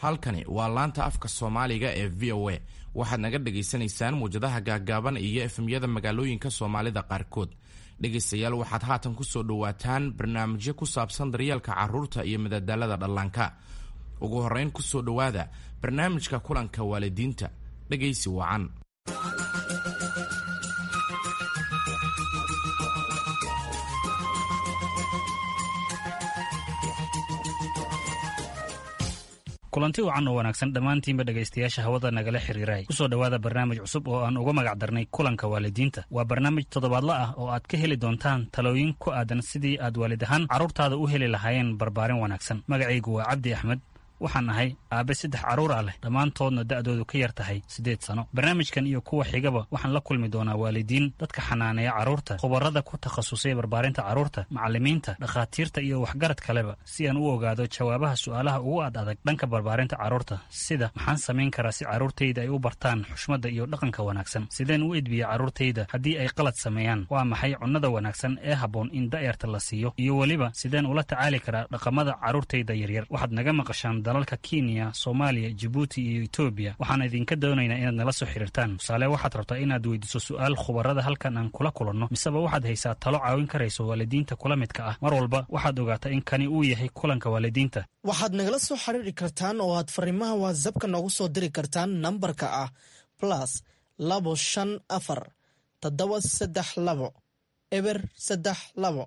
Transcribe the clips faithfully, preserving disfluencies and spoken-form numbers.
Halkani waa laanta afka Soomaaliga ee V O A. Waxaad naga dhagaysanaysaan muwjadaha gaaggaaban iyo F M-yada magaalooyinka Soomaalida qaarkood. Dhegaystayaal, waxaad haatan kusoo dhowaataan barnaamijyo ku saabsan daryeelka carruurta iyo madadaalada dhallaanka. Ugu horrayn, kusoo dhowaada barnaamijka kulanka waalidiinta. Dhegaysi wacan. Kulanti wacan oo wanaagsan dhammaantiinba, dhegaystayaasha hawada nagala xiriiray. Kusoo dhowaada barnaamij cusub oo aan uga magac darnay Kulanka Waalidiinta. Waa barnaamij toddobaadla ah oo aad ka heli doontaan talooyin ku aadan sidii aad waalid ahaan carruurtaada u heli lahaayeen barbaarin wanaagsan. Magacaygu waa Cabdi Axmed. Waxaan ahay aabe saddex carruur ah leh, dhammaantoodna da'doodu ka yar tahay siddeed sano. Barnaamijkan iyo kuwa xigaba waxaan la kulmi doonaa waalidiin, dadka xanaaneeya carruurta, khubarada ku takhasusay barbaarinta carruurta, macallimiinta, dhakhaatiirta iyo waxgarad kaleba, si aan u ogaado jawaabaha su'aalaha ugu ad adag dhanka barbaarinta carruurta, sida: maxaan samayn karaa si carruurtayda ay u bartaan xushmadda iyo dhaqanka wanaagsan? Sideen u edbiya carruurtayda haddii ay qalad sameeyaan? Waa maxay cunnada wanaagsan ee habboon in da'yarta la siiyo? Iyo weliba, sideen ula tacaali karaa dhaqamada carruurtayda yaryar? Waxaad naga maqashaan dalalka Kenya, Soomaaliya, Jibuuti iyo Etoobiya. Waxaan idinka doonaynaa inaad nala soo xiriirtaan. Tusaale, waxaad rabtaa inaad weydiiso su'aal khubarada halkan aan kula kulanno, miseba waxaad haysaa talo caawin karayso waalidiinta kula midka ah. Mar walba waxaad ogaataa in kani uu yahay Kulanka Waalidiinta. Waxaad nagala soo xiriiri kartaan oo aad fariimaha WhatsApp-ka noogu soo diri kartaan nambarka ah plus labo shan afar toddoba saddex labo eber saddex labo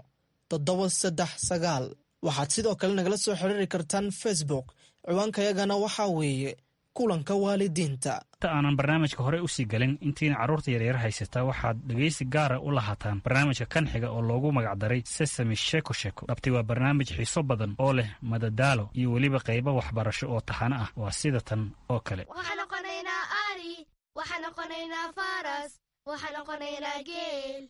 toddoba saddex sagaal. Waxaad sidoo kale nagala soo xiriiri kartaan Facebook. Ciwaankayagana waxaa weeye Kulanka Waalidiinta. Inta aanan barnaamijka hore usii galin, intiina carruurta yaryar haysata, waxaad dhegaysi gaara u lahaataan barnaamijka kan xiga oo loogu magacdaray Sesame Sheeko Sheeko. Dhabti waa barnaamij xiiso badan oo leh madadaalo iyo weliba qaybo waxbarasho oo taxano ah. Waa sida tan oo kale. Waxaan noqonaynaa ari, waxaan noqonaynaa faras, waxaan noqonaynaa geel.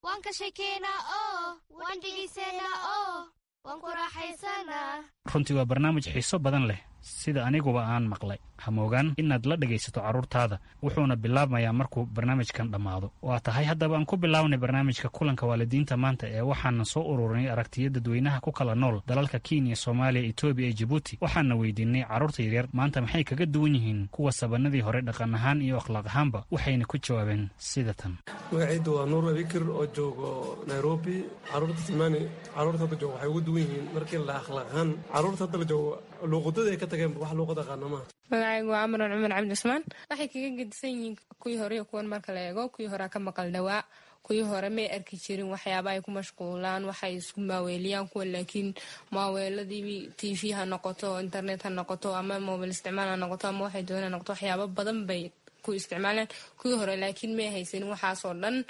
Waan ka sheekeynaa oo waan dhegaysanaa oo waan ku raaxaysanaa. Runtii waa barnaamij xiiso badan leh, sida aniguba aan maqlay. Hamoogaan inaad la dhegaysato carruurtaada, wuxuuna bilaabmayaa markuu barnaamijkan dhammaado. Waa tahay, haddaba aan ku bilaabnay barnaamijka Kulanka Waalidiinta maanta ee waxaana soo ururinay aragtiyo dadweynaha ku kala nool dalalka Kenya, Soomaaliya, Etoobiya iyo Jibuuti. Waxaana weydiinay carruurta yaryar maanta maxay kaga duwan yihiin kuwa sabanadii hore dhaqan ahaan iyo akhlaaq ahaanba, waxayna ku jawaabeen sida tan. Magacaydu waa Nuur Abikir oo joogo Nairobi. Caruurta zamani, caruurta hadda joogo waxay ugu duwan yihiin markii la akhlaaq ahaan, caruurta hadda la joogo luuqadada ay ka tageen wax luuqad aqaana maaha. Magacaygu waa Amran Cumar Cabdi Cusmaan. Waxay kaga gedisan yihiin kuwii hore iyo kuwan marka la eego, kuwii horea ka maqal dhawaa. Kuwii hore may arki jirin waxyaaba ay ku mashquulaan, waxay isku maaweeliyaan. Kuwa laakiin maaweeladii T V ha noqoto, internet ha noqoto, ama mobile isticmaal ha noqoto, ama waxay doonaan ha noqoto, waxyaabo badan bay ku isticmaalaan. Kuwii hore laakiin may haysanin waxaasoo dhan.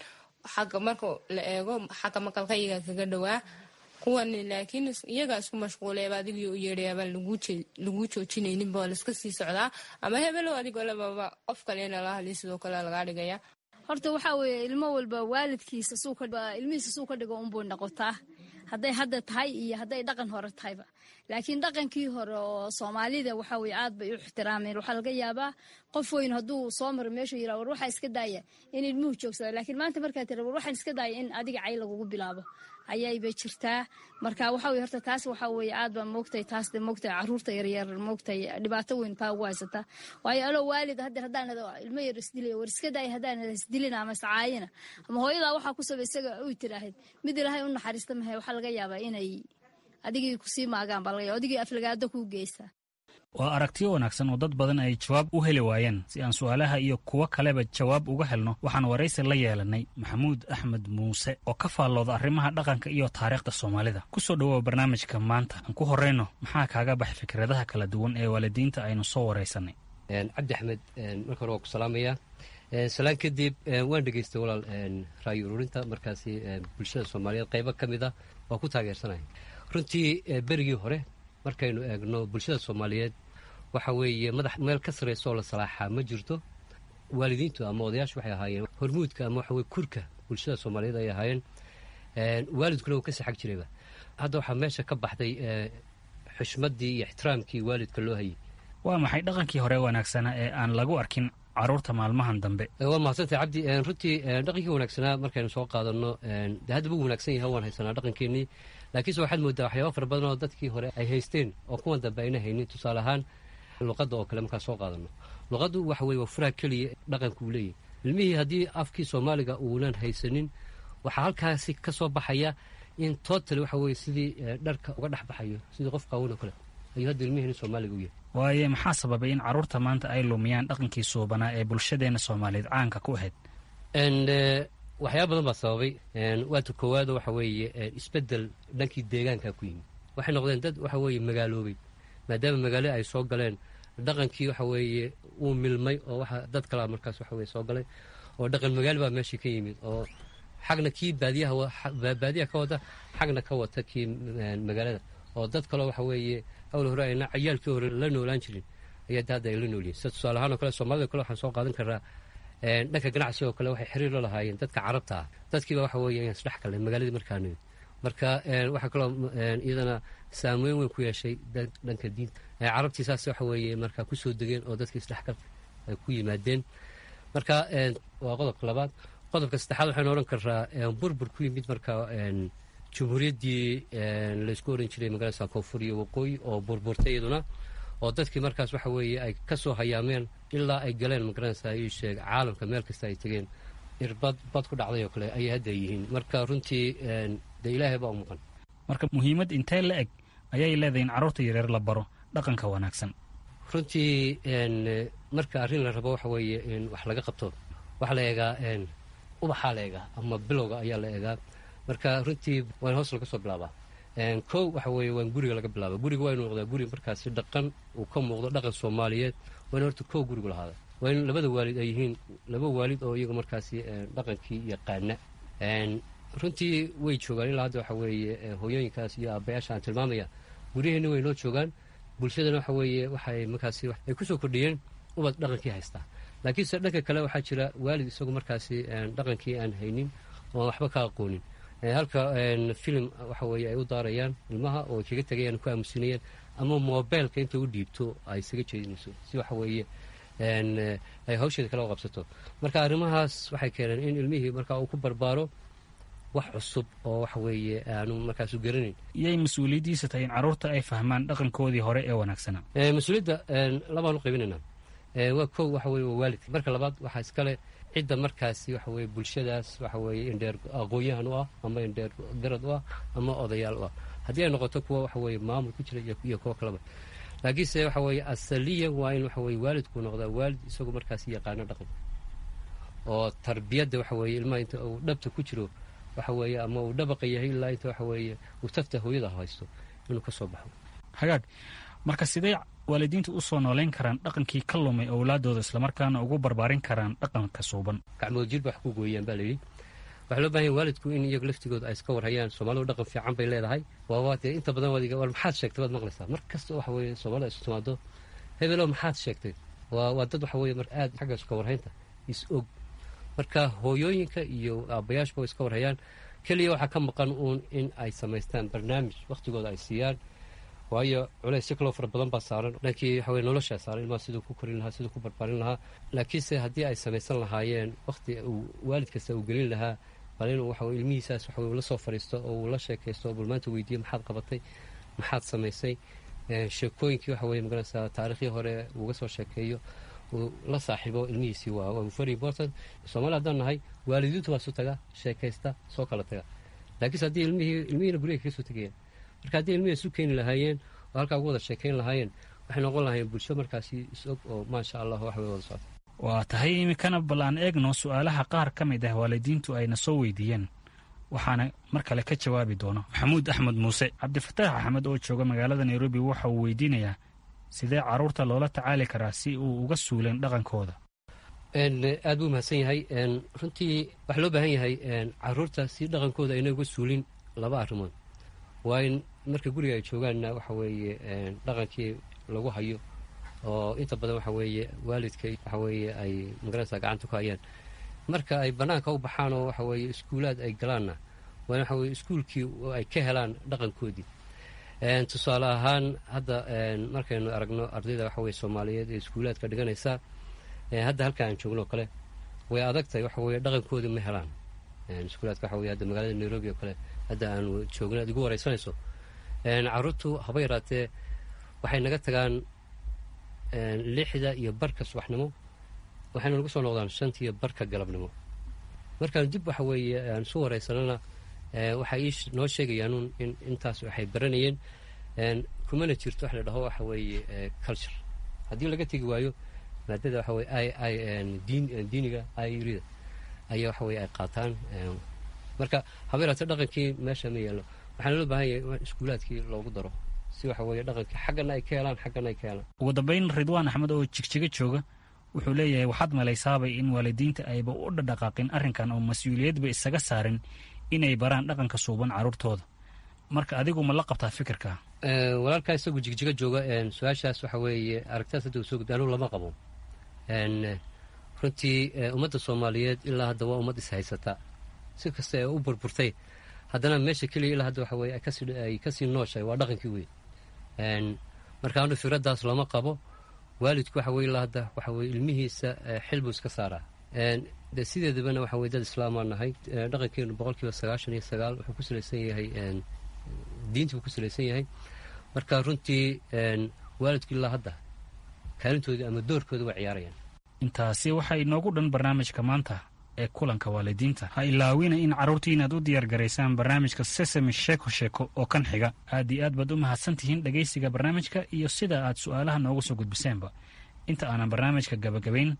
Xagga marka la eego xagga maqalka, iyagaa kaga dhawaa kuwan, laakiin iyagaa isku mashquulayba. Adigii u yeedhayaabaan laguu joojinayninba, waa laiska sii socdaa, ama hebelow adigoo lababa qof kalena la hadlay sidoo kale lagaa dhigaya. Horta waxaa weeye, ilmo walba waalidkiisa ilmihiisa suu ka dhigo unbuu noqotaa, hadday hadda tahay iyo hadday dhaqan hore tahayba. Laakiin dhaqankii hore oo Soomaalida waxaa weye aad bay u ixtiraameen. Waxaa laga yaabaa qof weyn hadduu soo maro meeshuu yidhaha, "War waxaa iska daaya," in ilmuhu joogsada. Laakiin maanta markaa tira, "War waxaan iska daaya," in adiga cay lagugu bilaabo ayaybay jirtaa. Marka waxaa weye, horta taas waxaa weye aad baa moogtay taas de moogtay carruurta yaryar moogtay dhibaato weyn taa ugu haysataa. Waayo, aloo waalid haddeer haddaan ilmo yar isdilaya, "War iska daaya," haddaan isdilina ama iscaayina ama hooyadaa waxaa ku saba isaga uy tiraahid, mid Ilaahay u naxariista mahe, waxaa laga yaabaa inay adigii kusii maagaan baa laga yaaba, adigii aflagaado kuu geysta. Waa aragtiyo wanaagsan oo dad badan ay jawaab u heli waayeen. Si aan su'aalaha iyo kuwo kaleba jawaab uga helno, waxaan waraysi la yeelanay Maxamuud Axmed Muuse oo ka faallooda arrimaha dhaqanka iyo taariikhda Soomaalida. Kusoo dhowow barnaamijka maanta. Aan ku horrayno, maxaa kaaga baxay fikradaha kala duwan ee waalidiinta aynu soo waraysanay? Cabdi Axmed, marka hore waa ku salaamayaa. Salaan kadib, waan dhegeystay walaal ra'yi ururinta. Markaasi bulshada Soomaaliyeed qaybo ka mid a waa ku taageersanaya. Runtii berigii hore markaynu eegno bulshada Soomaaliyeed, waxa weeye madax meel ka sarraysa oo la salaaxaa ma jirto. Waalidiintu ama odayaashu waxay ahaayeen hormuudka ama waxa weye kurka bulshada Soomaaliyeed ay ahaayeen. Waalidkuna wuu ka saxag jirayba. Hadda waxaa meesha ka baxday xushmaddii iyo ixtiraamkii waalidka loo hayay. Waa maxay dhaqankii hore wanaagsanaa ee aan lagu arkin carruurta maalmahan dambe? Waa mahadsantay, Cabdi. Runtii dhaqankii wanaagsanaa markaynu soo qaadano, de haddaba wuu wanaagsan yahay, waan haysanaa dhaqankeenii, laakiinse waxaad moodaa waxyaaba fara badan oo dadkii hore ay haysteen oo kuwan dambe ayna haynin. Tusaale ahaan, Luqadda oo kale markaa soo qaadano, luqaddu waxa weye waa furaha keliya dhaqanka uu leeyahy. Ilmihii haddii afkii Soomaaliga uunan haysanin, waxaa halkaasi ka soo baxaya in totally waxa weye sidii dharka uga dhex baxayo, sidii qof qaawan oo kale ayuu hadda ilmihiina Soomaaliga u yahay. Waaye, maxaa sababay in carruurta maanta ay lumiyaan dhaqankii suubanaa ee bulshadeenna Soomaaliyeed caanka ku ahayd? Waxyaaba badan baa sababay. Waata koowaado, waxa weeye isbeddel dhankii deegaanka ku yimid. Waxay noqdeen dad waxa weeye magaaloobay. Maadaama magaalo ay soo galeen, dhaqankii waxa weeye wuu milmay, oo waxa dad kalaa markaas waxa weye soo galay, oo dhaqan magaalo baa meeshii ka yimid, oo xagna kii baadiyaha baadiyaha ka wata, xagna ka wata kii magaalada, oo dad kaloo waxa weeye awl hore ayna cayaalkii hore la noolaan jirin ayaa hadda ay la noolyihin. Sida tusaale ahaan oo kale, Soomaalida kale waxaan soo qaadan karaa dhanka ganacsiga oo kale, waxay xiriir la lahaayeen dadka Carabta ah. Dadkiiba waxa weeye ayaan isdhex galnay magaaladii markaa nimid. Marka waxaa kaloo iyadana saameyn weyn ku yeeshay dhanka diinta. Carabtii saas waxa weeye markaa kusoo degeen oo dadkii isdhexgal ay ku yimaadeen. Marka waa qodobka labaad. Qodobka saddexaad waxaynu odhan karaa burbur ku yimid marka jumhuuriyaddii laysku oran jiray magaalada Koonfur iyo Waqooyi oo burburtay iyaduna, oo dadkii markaas waxa weeye ay ka soo hayaameen ilaa ay galeen, magaranaysa ii sheeg, caalamka meel kasta ay tegeen, irbad bad ku dhacday oo kale ayay hadda yihiin. Marka runtii dee Ilaahay baa u maqan. Marka muhiimad intee la eg ayay leedahay in carruurta yareer la baro dhaqanka wanaagsan? Runtii marka arrin la rabo waxa weeye in wax laga qabto, waxaa la eegaa ubaxaa la eegaa ama bilowga ayaa la eegaa. Marka runtii waa in hoos laga soo bilaabaa. Kow waxa weeye waa in guriga laga bilaaba. Guriga waa inu noqdaa guri markaasi dhaqan uu ka muuqdo, dhaqan Soomaaliyeed waa in horta kow gurigu lahaada. Waa in labada waalid ay yihiin laba waalid oo iyaga markaasi dhaqankii yaqaana. Runtii way joogaan ilaa hadda waxa weeye hooyooyinkaas iyo aabbayaasha aan tilmaamaya, guryaheenna way noo joogaan. Bulshadana waxa weeye waxay markaasi ay kusoo kordhiyeen ubad dhaqankii haystaa. Laakiinse dhanka kale waxaa jira waalid isagu markaasi dhaqankii aan haynin oo waxba ka aqoonin, halka filim waxa weeye ay u daarayaan ilmaha oo ay kaga tegayaan, ku aamusinayaan, ama mobeelka inta u dhiibto ay isaga jeedinayso si waxa weeye ay hawsheeda kala qabsato. Marka arrimahaas waxay keeneen in ilmihii marka uu ku barbaaro wax cusub oo waxa weeye aanu markaasu garanayn. Yay mas-uuliyaddiisa tahay in carruurta ay fahmaan dhaqankoodii hore ee wanaagsanaa? Mas-uuliyadda labaan u qaybinaynaa. Waa kow, waxa weye waa waalidka. Marka labaad waxaa iskale cidda markaasi waxa weye bulshadaas waxa weeye indheer aqoon-yahan u ah ama indheer garad u ah ama odayaal u ah, haddii ay noqoto kuwa waxa weeye maamul ku jira iyo kuwo kaleba. Laakiinse waxa weeye asaliyan waa in waxa weye waalidku noqdaa waalid isagu markaasi yaqaano dhaqanka oo tarbiyadda waxa weeye ilmaha inta uu dhabta ku jiro waxa weeye ama uu dhabaqa yahay ilaa inta waxa weeye uu tafta hooyada haysto inuu ka soo baxo. Hagaag, marka sidee waalidiintu u soo nooleyn karaan dhaqankii ka lumay owlaadooda, islamarkaana ugu barbaarin karaan dhaqanka suuban? Gacmood jir ba wax ku gooyaan baa layidhi. Waxaa loo bahan yahay waalidku in iyagu laftigooda ay iska warhayaan. Soomaalidu dhaqan fiican bay leedahay. Waaba dee inta badan waad war maxaad sheegtay baad maqlaysaa mar kasta waxa weeye Soomaalida isu timaado, hebelow maxaad sheegtay. Waa waa dad waxa weeye marka aad xagga iska warhaynta is og. Marka hooyooyinka iyo aabbayaashba way iska warhayaan. Keliya waxaa ka maqan uun in ay samaystaan barnaamij wakhtigooda ay siiyaan, waayo culaysyo kaloo fara badan baa saaran dhankii waxa weye noloshaa saaran, ilmaha siduu ku korin lahaa, siduu ku barbaarin lahaa. Laakiinse haddii ay samaysan lahaayeen wakhti uu waalid kasta uu gelin lahaa, bal inuu waxa weye ilmihiisaas waxa weye ula soo fadhiisto oo uu la sheekaysto oo bal maanta weydiiyo maxaad qabatay, maxaad samaysay, sheekooyinkii waxa weye magaranaysaa taariikhdii hore uga soo sheekeeyo, uu la saaxiibo ilmihiisii, waa waa very important. Soomaali haddaan nahay, waalidiintu waa isu taga, sheekaysta, soo kala taga. Laakiinse haddii ilmihii ilmihiina guriga kaga soo tegayaan. Marka haddii ilmihii isu keeni lahaayeen oo halkaa ugu wada sheekayn lahaayeen, waxay noqon lahaayeen bulsho markaasi is og oo maasha Allah wax way wada socota. Waa tahay, iminkana bal aan eegno su'aalaha qaar ka mid ah waalidiintu ayna soo weydiiyeen, waxaana mar kale ka jawaabi doono Maxamuud Axmed Muuse. Cabdifataax Axmed oo jooga magaalada Nairobi waxa uu weydiinayaa sidee carruurta loola tacaali karaa si uu uga suuleen dhaqankooda? Aad buu mahadsan yahay. Runtii waxaa loo baahan yahay carruurta si dhaqankooda ayna uga suulin laba arrimood. Waa in marka guriga ay joogaanna waxa weeye dhaqankii lagu hayo, oo inta badan waxa weeye waalidka waxa weeye ay magaranaysa gacanta ku hayaan. Marka ay bannaanka u baxaan oo waxa weeye iskuulaad ay galaanna, waa in waxa weye iskuulkii ay ka helaan dhaqankoodii. Tusaale ahaan hadda markaynu aragno ardayda waxa weye Soomaaliyeed ee iskuulaadka dhiganaysa hadda halka aan joogno o kale, way adag tahay, waxa weye dhaqankoodii ma helaan iskuulaadka. Waxa weye hadda magaalada Nairobi oo kale hadda aanu joogno aad igu wareysanayso, carruurtu haba yaraatee waxay naga tagaan lixda iyo barka subaxnimo, waxayna nagu soo noqdaan shanta iyo barka galabnimo. Markaan dib waxa weeye aan isu wareysanana, waxay ii noo sheegayaanuun in intaas waxay baranayeen, kumana jirto wax la dhaho waxa weeye culture. Haddii laga tegi waayo maadada waxa weye i i diin diiniga irida ayaa waxa weye ay qaataan. Marka habeeraate dhaqankii meesha ma yeelno. Waxaana loo baahan yahay in iskuulaadkii loogu daro si waxa weeye dhaqankii xaggana ay ka helaan, xaggana ay ka helaan. Ugu dambayn, Ridwaan Axmed oo Jigjiga jooga wuxuu leeyahay, waxaad malaysaabay in waalidiinta ayba u dhadhaqaaqin arrinkan oo mas-uuliyadba isaga saarin inay baraan dhaqanka suuban carruurtooda. Marka adigu ma la qabtaa fikirka? Walaalkaa isagu Jigjiga jooga su-aashaas waxa weeye aragtaas hadda uu soo gudbi, anugu lama qabo. Runtii ummadda Soomaaliyeed ilaa hadda waa ummad ishaysata. Si kasta ee u burburtay, haddana meesha keliya ilaa hadda waxa weye ay kasii nooshahay waa dhaqankii weyn. Marka anu fikraddaas lama qabo. Waalidku waxa weye ilaa hadda waxa weye ilmihiisa xil buu iska saaraa. De sideedabana waxa weye dad islaamaa nahay. Dhaqankeenu boqol kiiba sagaashan iyo sagaal wuxuu ku salaysan yahay diinta buu ku salaysan yahay. Marka runtii waalidku ilaa hadda kaalintoodii ama doorkooda waa ciyaarayaan. Intaasi waxaa inoogu dhan barnaamijka maanta ee kulanka waalidiinta. Ha ilaawina in carruurtii inaad u diyaargaraysaan barnaamijka Sesame Sheeko Sheeko oo kan xiga. Aad iyo aad baad u mahadsan tihiin dhegaysiga barnaamijka iyo sida aad su'aalaha noogu soo gudbiseenba. Inta aanan barnaamijka gabagabayn,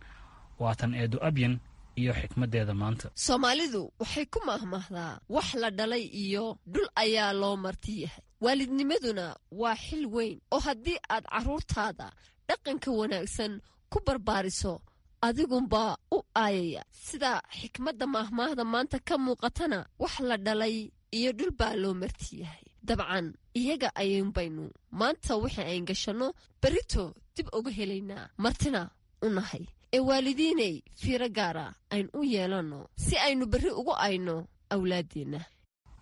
waatan Eedo Abyan iyo xikmaddeeda maanta. Soomaalidu waxay ku mahmahdaa, wax la dhalay iyo dhul ayaa loo marti yahay. Waalidnimaduna waa xil weyn oo haddii aad carruurtaada dhaqanka wanaagsan ku barbaariso, adigunbaa u aayaya. Sida xikmadda maahmaahda maanta ka muuqatana, wax la dhalay iyo dhul baa loo marti yahay. Dabcan iyaga ayuunbaynu maanta wixii ayn gashanno berrito dib uga helaynaa, martina u nahay. Ee waalidiinay, fiiro gaara aynu u yeelanno si aynu berri ugu ayno awlaaddeenna.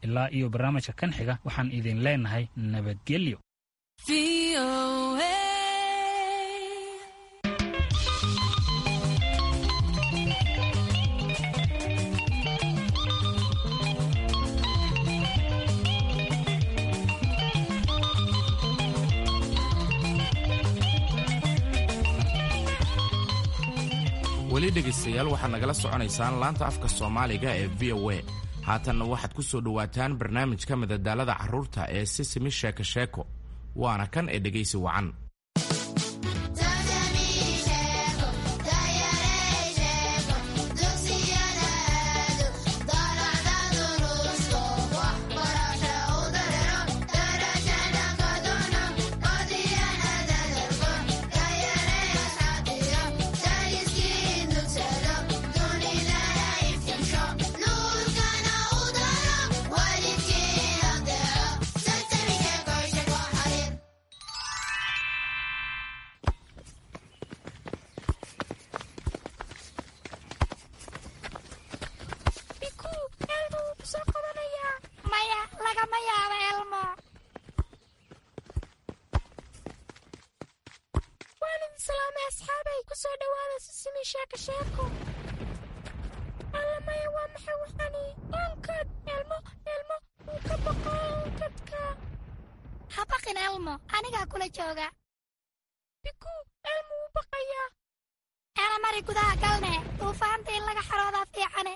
Ilaa iyo barnaamijka kan xiga, waxaan idin leenahay nabadgelyo. Weli dhegaystayaal, waxaad nagala soconaysaan laanta afka Soomaaliga ee V O A. Haatanna waxaad ku soo dhowaataan barnaamijka madadaalada carruurta ee Sisimi Sheeko Sheeko, waana kan ee dhegaysi wacan. Habaqin Elmo, anigaa kula jooga. Biku, Elmo wuu baqayaa. Mari gudaha galne, duufaanta in laga xaroodaa fiicane.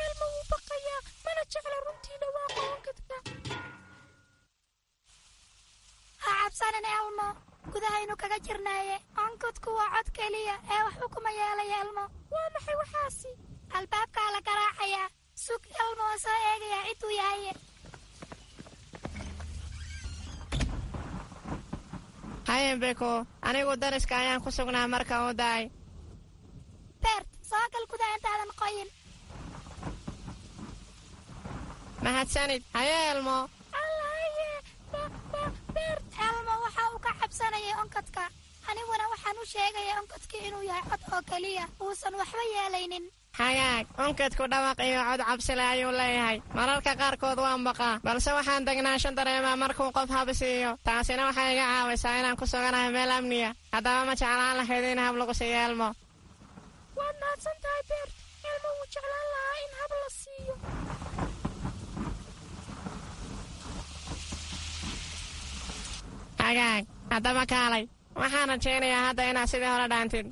Elmo wuu baqayaa, mana jecla runtii dhawaaqa onkadka. Ha cabsanin Elmo, gudahaynu kaga jirnaaye. Onkadku waa cod keliya ee waxba kuma yeelaya Elmo. Waa maxay waxaasi? Albaabkaa la garaacayaa. Sug Elmo, oo soo eegayaa ciduu yahaye. Hayen Beko, anigu dariska ayaan ku sugnaa marka uu daay. Bert, soo gal gudaha intaadan qoyin. Mahadsanid. Haye Elmo. Allahaye, Bert, Elmo waxa uu ka cabsanayay onkadka. Aniguna waxaan u sheegaya onkadkii inuu yahay cod oo keliya, uusan waxba yeelaynin. Hagaag, onkadku dhawaq iyo cod cabsile ayuu leeyahay. Mararka qaarkood waan baqaa, balse waxaan degnaansho dareemaa markuu qof hab siiyo. Taasina waxay iga caawisaa inaan ku suganahay meel amniya. Haddaba ma jeclaan lahayd in hab lagu siiyo Elmo? Waad mahadsan tahay Beert. Elmo wuu jeclaan lahaa in hab la siiyo. Hagaag, haddaba kaalay. Waxaan rajaynayaa hadda inaad sidii hore dhaantid.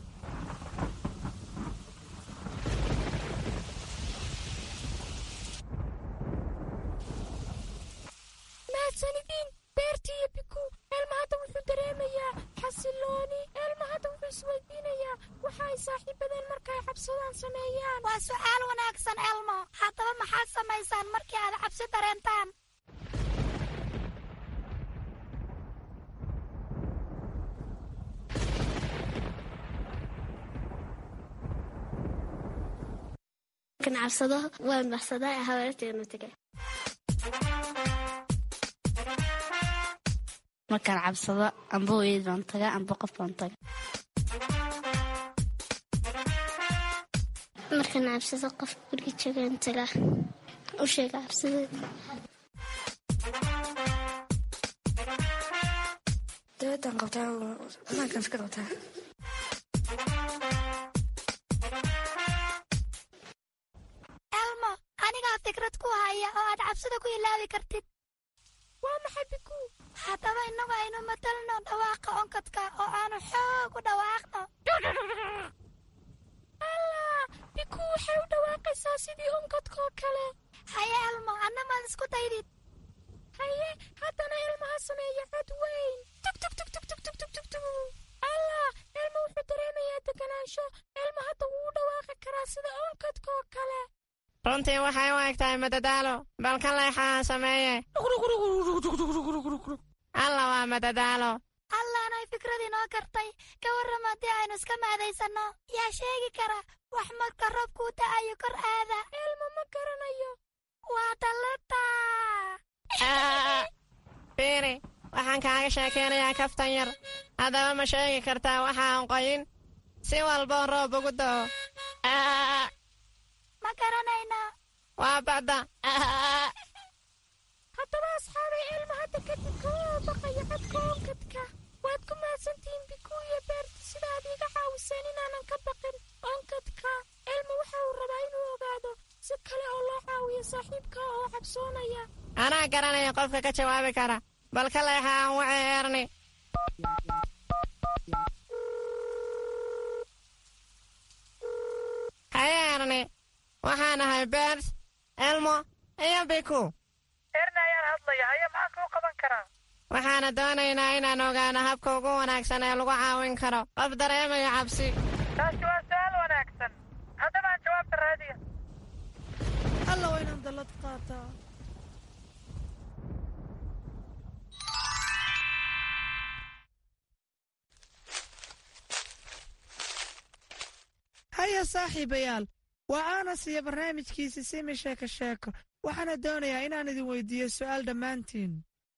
Mahadsanidin Beerti iyo Biku. Elmo hadda wuxuu dareemayaa xasilooni. Elmo hadda wuxuu isweydiinayaa waxa ay saaxiibadeen marka ay cabsadaan sameeyaan. Waa su'aal wanaagsan Elmo. Haddaba maxaad samaysaan markii aad cabsi dareentaan? Markaan cabsado waan baxsadaa, habaryartayna tagaa. Markaan cabsado amba hooyad baan tagaa amba qof baan tagaa. Markaan cabsado qof guriga joogaan tagaa, u sheega cabsadeed. Dawladaan qabtaa, banaankaan iska qabtaa. Elmo, anigaa fikrad ku haya oo aad cabsida ku ilaawi kartid. Waa maxay Biku? Haddaba innagu aynu matalno dhawaaqa onkadka oo aanu xoog u dhawaaqno. Allah, Biku waxay u dhawaaqaysaa sidii onkadka oo kale. Haye Elmo, anna maad isku daydid. Haye, haddana Elmo ha sameeya cod weyn. Tug tug tug tug tug tug tug tug tug. Allah, Elmo wuxuu dareemayaa deganaansho. Elmo hadda wuu u dhawaaqi karaa sida onkadka oo kale. Runtii waxay u eg tahay madadaalo. Bal ka leexa aan sameeye. Alla, waa madadaalo. Allaanay fikrad inoo kartay. Ka warram haddii aynu iska maadaysanno. Yaa sheegi kara wax marka roobkuu da'ayo kor aada? Elmo ma garanayo. Waa dallada. Fiiri, waxaan kaaga sheekaynayaa kaftan yar. Haddaba ma sheegi kartaa waxa aan qoyin si walboo roob ugu da'o? Ma garanayno. Waa bacda. Haddaba asxaabay, Elmo hadda kadib kama baqayo codka onkadka. Waad ku mahadsantihiin Biku iyo Beerti sida aad iiga caawiseen inaanan ka baqin onkadka. Elmo waxa uu rabaa inuu ogaado si kale oo loo caawiyo saaxiibka oo cabsoonaya. Anaa garanaya qofka ka jawaabi kara. Bal ka leexa aan wacay Erni. Haye Erni, waxaan ahay Beert, Elmo iyo Biku. Erni ayaan hadlaya. Haye, maxaan kuu qaban karaa? Waxaana doonaynaa inaan ogaano habka ugu wanaagsan ee lagu caawin karo qof dareemaya cabsi. Taasi waa su'aal wanaagsan. Haddaba aan jawaabta raadiya. Alla, waa inaan dallad qaataa. Haya saaxiibayaal, waa Aanas iyo barnaamijkiisi Simi Sheeko Sheeko. Waxaana doonayaa inaan idin weydiiyo su'aal dhammaantiin,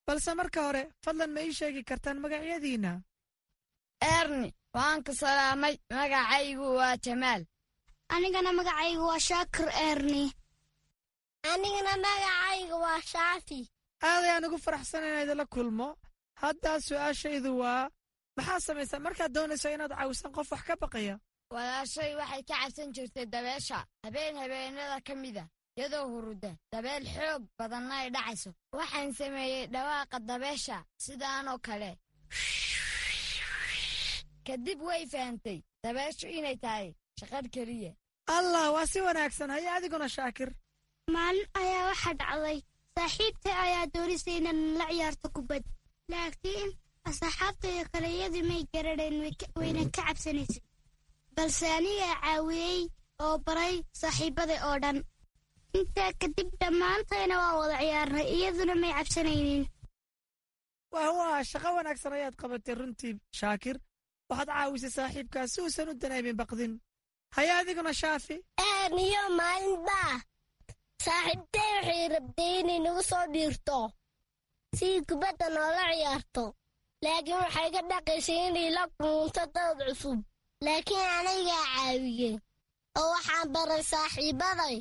balse marka hore fadlan ma ii sheegi kartaan magacyadiinna? Erni, waan ku salaamay. Magacaygu waa Jamaal. Anigana magacaygu waa Shaakir Erni. Anigana magacaygu waa Shaafi. Aad ayaan ugu faraxsan inaan idinla kulmo. Haddaa su'aashaydu waa, maxaa samaysaa markaad doonayso inaad caawisan qof wax ka baqaya? Walaashay waxay ka cabsan jirtay dabeesha. Habeen habeenada ka mida, iyadoo huruda, dabeel xoog badanna ay dhacayso, waxaan sameeyey dhawaaqa dabeesha sidaanoo kale. Kadib way fahantay dabeeshu inay tahay shaqadh keliya. Allah, waa si wanaagsan. Haye adiguna Shaakir. Maalin ayaa waxaa dhacday, saaxiibtay ayaa doonisay inaan la ciyaarto kubad, laakiin asxaabtayda kale iyadii may garanayn, wayna ka cabsanaysay, balse anigaa caawiyey oo baray saaxiibaday oo dhan. Intaa kadib dhammaantayna waa wada ciyaarnay, iyaduna may cabsanaynin. Wah waa shaqo wanaagsan ayaad qabatay runtii Shaakir. Waxaad caawisay saaxiibkaa si uusan u daneemin baqdin. Haye adiguna Shaafi. Erniyo, maalinbaa saaxiibtay waxay rabtay inay nagu soo dhiirto si kubadda noola ciyaarto, laakiin waxay ka dhaqaysay inay la kulunto dad cusub, laakiin anigaa caawiyey. Oo waxaan baray saaxiibaday.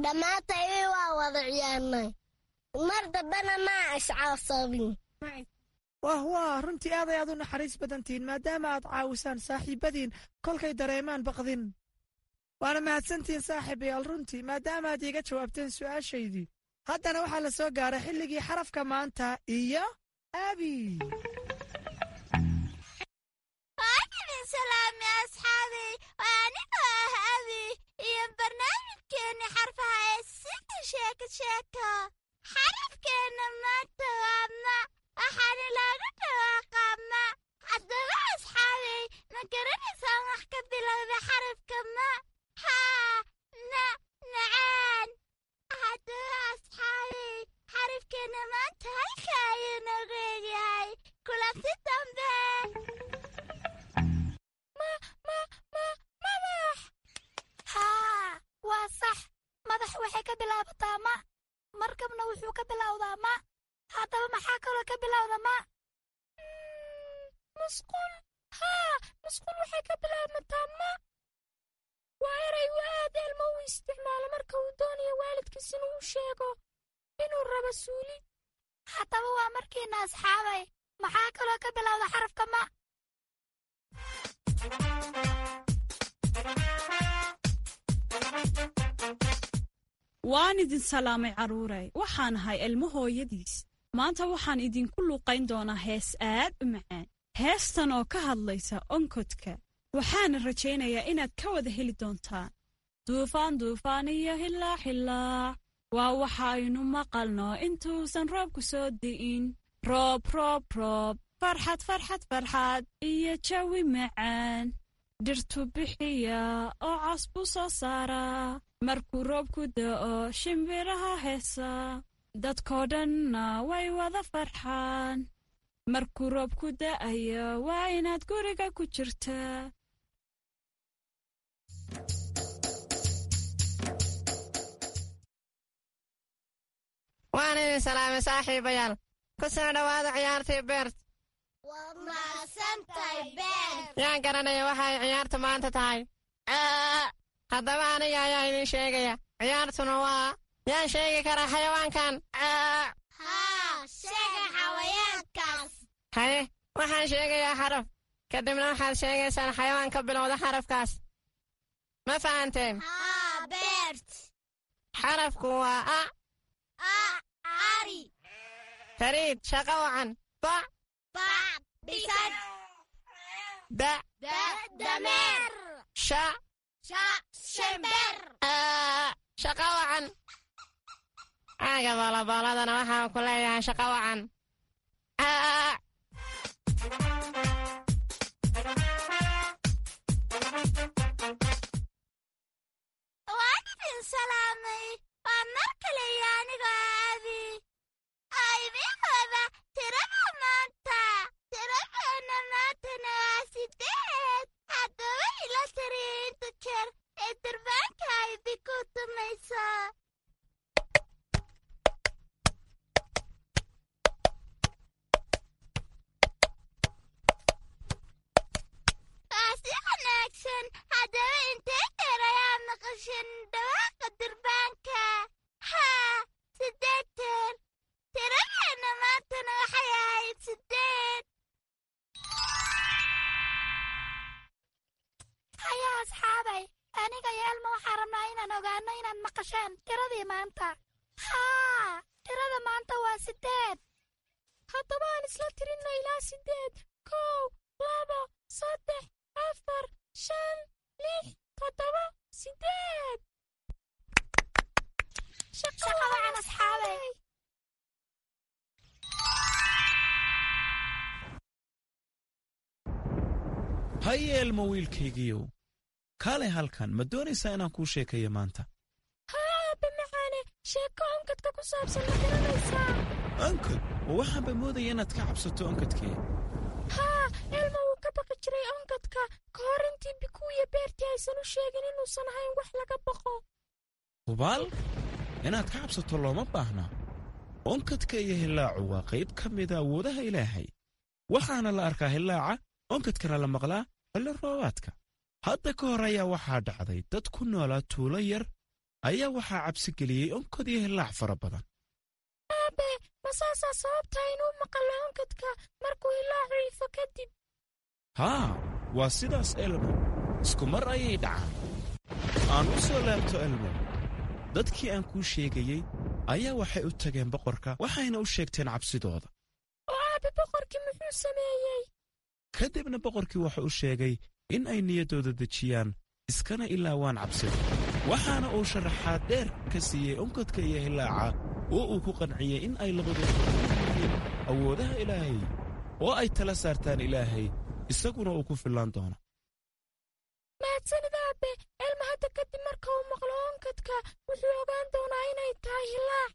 Dhammaantay waa wada ciyaarnay. Mar dambena maa iscaabsabin. Wah wah, runtii aad ayaad u naxariis badantihiin maadaama aad caawisaan saaxiibbadiin kolkay dareemaan baqdin. Waana mahadsantihiin saaxiibayaal runtii maadaama aad iiga jawaabteen su'aashaydii. Haddana waxaa la soo gaaray xilligii xarafka maanta iyo Abi. Waan idin salaamay asxaabay, waa anigoo ah Abi iyo barnaamijkeenni xarfaha ee Sida Sheeko Sheeko. Xarafkeenna maanta waa ma, waxaana loogu dhawaaqaa ma. Haddaba asxaabay, ma garanaysaan wax ka bilowda xarafka ma? Haa, ma macaan. Haddaba asxaabay, xarafkeenna maanta halka ayuu noogu egyahay. Kulanti dambe. Ma ma ma madax. Haa, waa sax. Madax waxay ka bilaabataa ma, markabna wuxuu ka bilowdaa ma. Haddaba maxaa kaloo ka bilowda ma? Musqul. Haa, musqul waxay ka bilaabmataa ma. Waa eray uu aad Elmo u isticmaalo marka uu doonayo waalidkiis inuu u sheego inuu rabo suuli. Haddaba waa markiina asxaabay, maxaa kaloo ka bilowda xarafka ma? Waan idin salaamay carruuray. Waxaan ahay Elmo hooyadiis. Maanta waxaan idinku luuqayn doonaa hees aad u macaan, heestan oo ka hadlaysa onkodka. Waxaana rajaynayaa inaad ka wada heli doontaan. Duufaan duufaan iyo hilaac hilaac waa waxa aynu maqalno intuusan roobku soo di'in. Roob roob roob, farxad farxad farxad iyo jawi macaan. Dhirtu bixiya oo cas buu soo saaraa. Markuu roobku da'o shimbiraha heesa, dadkoo dhanna way wada farxaan. Markuu roobku da'ayo waa inaad guriga ku jirtaa. Waan idin salaamay saaxiibayaal. Ku soo dhowaada ciyaartii Beert. Waa mahadsantahay, Beert. Yaan garanaya waxa ay ciyaartu maanta tahay? Haddaba aniga ayaa idin sheegaya. Ciyaartuna waa yaan sheegi karaa xayawaankan? Haa, sheega xayawaankaas. Haye, waxaan sheegayaa xaraf, kadibna waxaad sheegaysaan xayawaan ka bilowda xarafkaas. Ma fahanteen? Haa, Beert. Xarafku waa a. A, ari. Fariid, shaqo wacan. Ba. Ba, bisad. Da. Da, dameer. Sha. Sha, shimbir. Shaqo wacan. Caaga boolobooladana waxaan ku leeyahay shaqo wacan. Waan idin salaamay. Waa mar kale iyo anigoo ah Abi oo idiin wada tirada maanta. Tiradeenna maantana waa sideed. Haddaba ila tiriya inta jeer ee durbaanka ay ku tumayso. Waa si wanaagsan. Haddaba intee jeer ayaa maqashan dhawaaqa durbaanka? Haa, siddeed jeer. Tiradeenna maantana waxay ahayd siddeed. Haya asxaabay, aniga iyo Elmo waxaan rabnaa inaan ogaano inaad maqashaan tiradii maanta. Haa, tirada maanta waa siddeed. Haddaba aan isla tirinno ilaa siddeed. Kow, laba, saddex, afar, shan, lix, toddoba, siddeed. Shaqo wacan asxaabay. Haye Elmo wiilkaygiiyow, kaalay halkan. Ma doonaysaa inaan kuu sheekeeyo maanta? Haa, aabbe macaane, sheeko onkadka ku saabsan ma garanaysaa? Onkod? Ma waxaanba moodaya inaad ka cabsato onkadkee. Haa, Elmo wuu ka baqi jiray onkadka ka hor intii Bikuuya Beertii aysan u sheegin inuusan ahayn wax laga baqo. Hubaal inaad ka cabsato looma baahna. Onkadka iyo hillaacu waa qayb ka mida awoodaha Ilaahay. Waxaana la arkaa hillaaca, onkadkana la maqlaa xilli roobaadka. Hadda ka hor ayaa waxaa dhacday dad ku noolaa tuulo yar ayaa waxaa cabsi geliyey onkod iyo hillaac fara badan. Aabe, ma saasaa sababta inuu maqallo onkadka markuu hillaacu ifo kadib? Haa, waa sidaas Elmo, isku mar ayay dhacaan. Aan u soo laabto Elmo. Dadkii aan kuu sheegayey ayaa waxay u tageen boqorka, waxayna u sheegteen cabsidooda. Oo aabe, boqorkii muxuu sameeyey? Kadibna boqorkii wuxuu u sheegay in ay niyaddooda dejiyaan iskana ilaawaan cabsida, waxaana uu sharaxaad dheer ka siiyey onkadka iyo hillaaca oo uu ku qanciyey in ay labadooda yihiin awoodaha Ilaahay oo ay tala saartaan Ilaahay, isaguna uu ku fillaan doono. Mahadsanid aabe. Elma hadda kadib marka uu maqlo onkadka wuxuu ogaan doonaa inay tahay hillaac.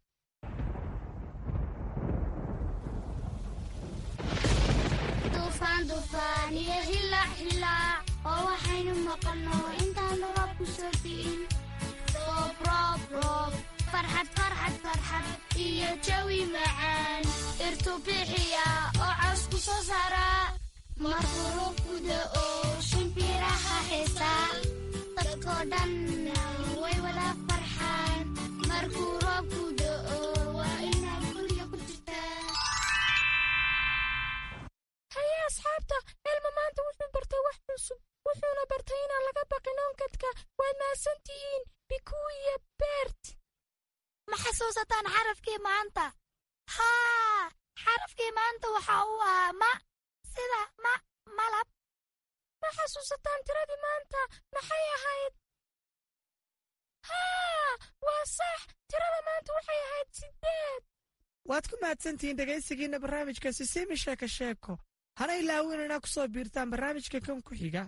Duufaan, duufaan iyo hillaac, hillaac oo waxaynu maqalno intaanu roobku soo di'in. Roob, roob, roob, farxad, farxad, farxad iyo jawi macaan. Irtu bixiya oo cawsku soo saara. Markuu roobku da'o shimbiraha heesaa. Dadkoo dhanna way wada farxaan. Markuu roobku da'o waa inaad guriga ku jirtaa. Haye asxaabta, Elma maanta wuxuu bartay wax cusub, wuxuuna bartay inaan laga baqin onkadka. Waad mahadsan tihiin Bikuu iyo Bert. Ma xasuusataan xarafkii maanta? Haa, xarafkii maanta waxa uu ahaa ma, sida ma malab. Ma xasuusataan tiradii maanta maxay ahayd? Haa, waa sax, tirada maanta waxay ahayd siddeed. Waad ku mahadsantihiin dhegaysigiinna barnaamijka Sisimi Sheeko Sheeko. Hana ilaawin inaa ku soo biirtaan barnaamijka kan ku xiga.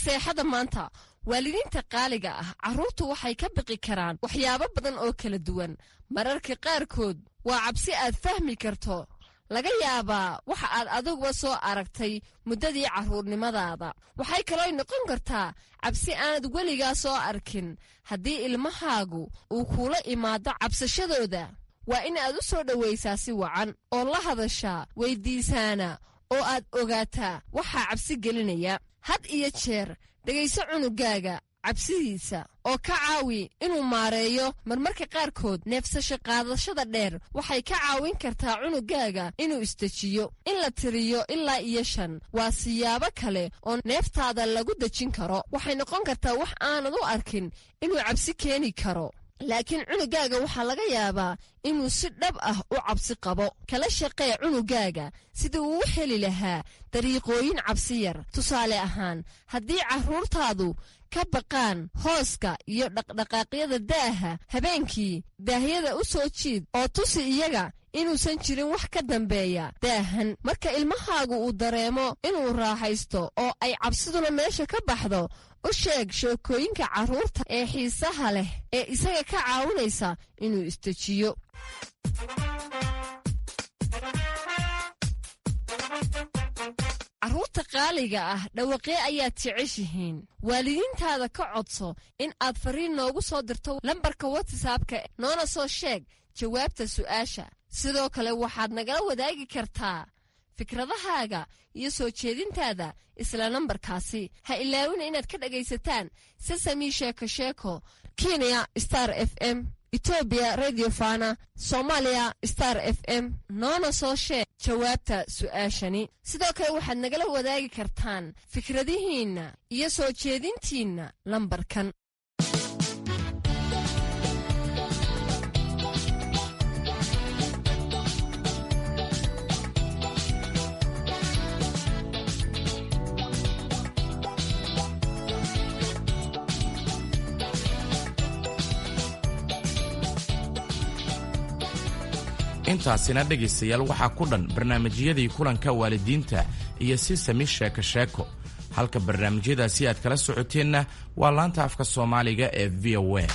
Seexada maanta, waalidiinta qaaliga ah, carruurtu waxay ka biqi karaan waxyaabo badan oo kala duwan. Mararka qaarkood waa cabsi aad fahmi karto, laga yaabaa waxa aad adiguba soo aragtay muddadii carruurnimadaada. Waxay kaloo noqon kartaa cabsi aanad weligaa soo arkin. Haddii ilmahaagu uu kuula imaado cabsashadooda, waa in aad u soo dhowaysaa si wacan oo la hadashaa, weyddiisaana oo aad ogaataa waxaa cabsi gelinaya. Had iyo jeer dhegayso cunugaaga cabsidiisa oo ka caawi inuu maareeyo. Marmarka qaarkood neefsasho qaadashada dheer waxay ka caawin kartaa cunugaaga inuu isdejiyo. In la tiriyo ilaa iyo shan waa siyaabo kale oo neeftaada lagu dejin karo. Waxay noqon kartaa wax aanad u arkin inuu cabsi keeni karo, laakiin cunugaaga waxaa laga yaabaa inuu si dhab ah u cabsi qabo. Kala shaqee cunugaaga sidii uu u heli lahaa dariiqooyin cabsi yar. Tusaale ahaan, haddii carruurtaadu ka baqaan hooska iyo dhaqdhaqaaqyada daaha habeenkii, daahyada u soo jiid oo tusi iyaga inuusan jirin wax ka dambeeya daahan. Marka ilmahaagu uu dareemo inuu raaxaysto oo ay cabsiduna meesha ka baxdo, u sheeg sheekooyinka carruurta ee xiisaha leh ee isaga ka caawinaysa inuu isdejiyo. Carruurta qaaliga ah, dhawaqee ayaad jeceshihiin? Waalidiintaada ka codso in aad fariin noogu soo dirto lambarka WhatsAppka, noona soo sheeg jawaabta su'aasha. Sidoo kale waxaad nagala wadaagi kartaa fikradahaaga iyo soo jeedintaada isla nambarkaasi. Ha ilaawina inaad ka dhagaysataan Sesami Sheeko Sheeko Kenya Star F M, Etoobiya Radio Fana, Soomaaliya Star F M. Noona soo sheeg jawaabta su'aashani. Sidoo kale waxaad nagala wadaagi kartaan fikradihiinna iyo soo jeedintiinna lambarkan. Intaasina dhegaystayaal waxaa ku dhan barnaamijyadii kulanka waalidiinta iyo Sisami Sheeko Sheeko. Halka barnaamijyadaasi aad kala socoteenna waa laanta afka Soomaaliga ee V O A.